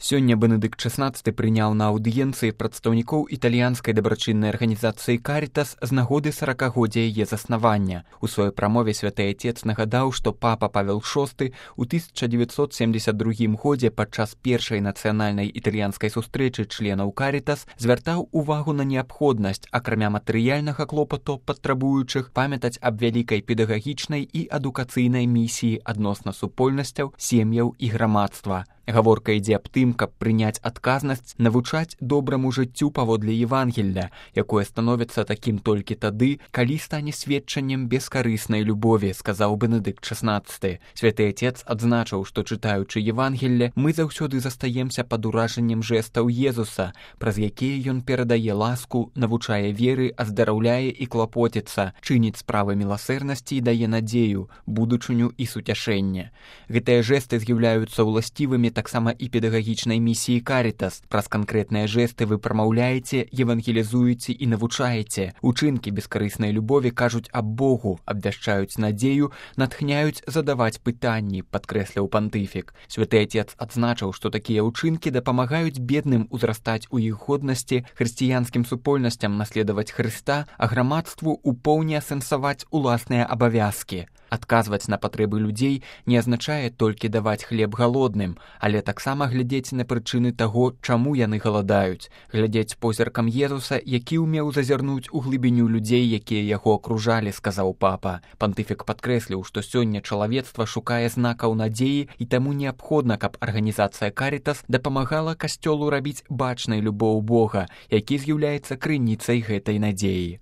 Сёння Бенедыкт XVI прыняў на аўдыенцыі прадстаўнікоў італьянскай дабрачыннай арганізацыі «Карітас» з нагоды 40-годдзя яе заснавання. У сваёй прамове святы Отец нагадаў, што папа Павел VI у 1972 годзе падчас першай нацыянальнай італьянскай сустрэчы членаў «Карітас» звяртаў увагу на неабходнасць, акрамя матэрыяльнага клопату патрабуючых, памятаць аб вялікай педагагічнай і адукацыйнай місіі адносна супольнасцяў, сем'яў і грамадства. Гаворка ідзе аб тым, каб прыняць адказнасць, навучаць добраму жыццю паводле Евангелля, якое становіцца такім толькі тады, калі стане сведчаннем бескарыснай любові, сказаў Бенедыкт XVI. Святы Отец адзначыў, што чытаючы Евангелле, мы заўсёды застаемся пад уражаннем жэстаў Езуса, праз якія ён перадае ласку, навучае веры, аздараўляе і клапоціцца, чыніць справы міласэрнасці і дае надзею, будучыню і суцяшэнне. Гэтыя жэсты з'яўляюцца ўласцівымі таксама і педагагічнай місіі «Карітас». Праз канкрэтныя жэсты вы прамаўляеце, евангелізуеце і навучаеце. Учынкі бескарыснай любові кажуць аб Богу, абвяшчаюць надзею, натхняюць задаваць пытанні, падкрэсліў пантыфік. Святы Отец адзначыў, што такія ўчынкі дапамагаюць бедным узрастаць у іх годнасці, хрысціянскім супольнасцям наследаваць Хрыста, а грамадству ў поўні асэнсаваць уласныя абавязкі. Адказваць на патрэбы людзей не азначае толькі даваць хлеб галодным, але таксама глядзець на прычыны таго, чаму яны галадаюць, глядзець позіркам Езуса, які ўмеў зазірнуць у глыбіню людзей, якія яго акружалі, сказаў папа. Пантыфік падкрэсліў, што сёння чалавецтва шукае знакаў надзеі і таму неабходна, каб арганізацыя «Карітас» дапамагала касцёлу рабіць бачнай любоў Бога, які з'яўляецца крыніцай гэтай надзеі.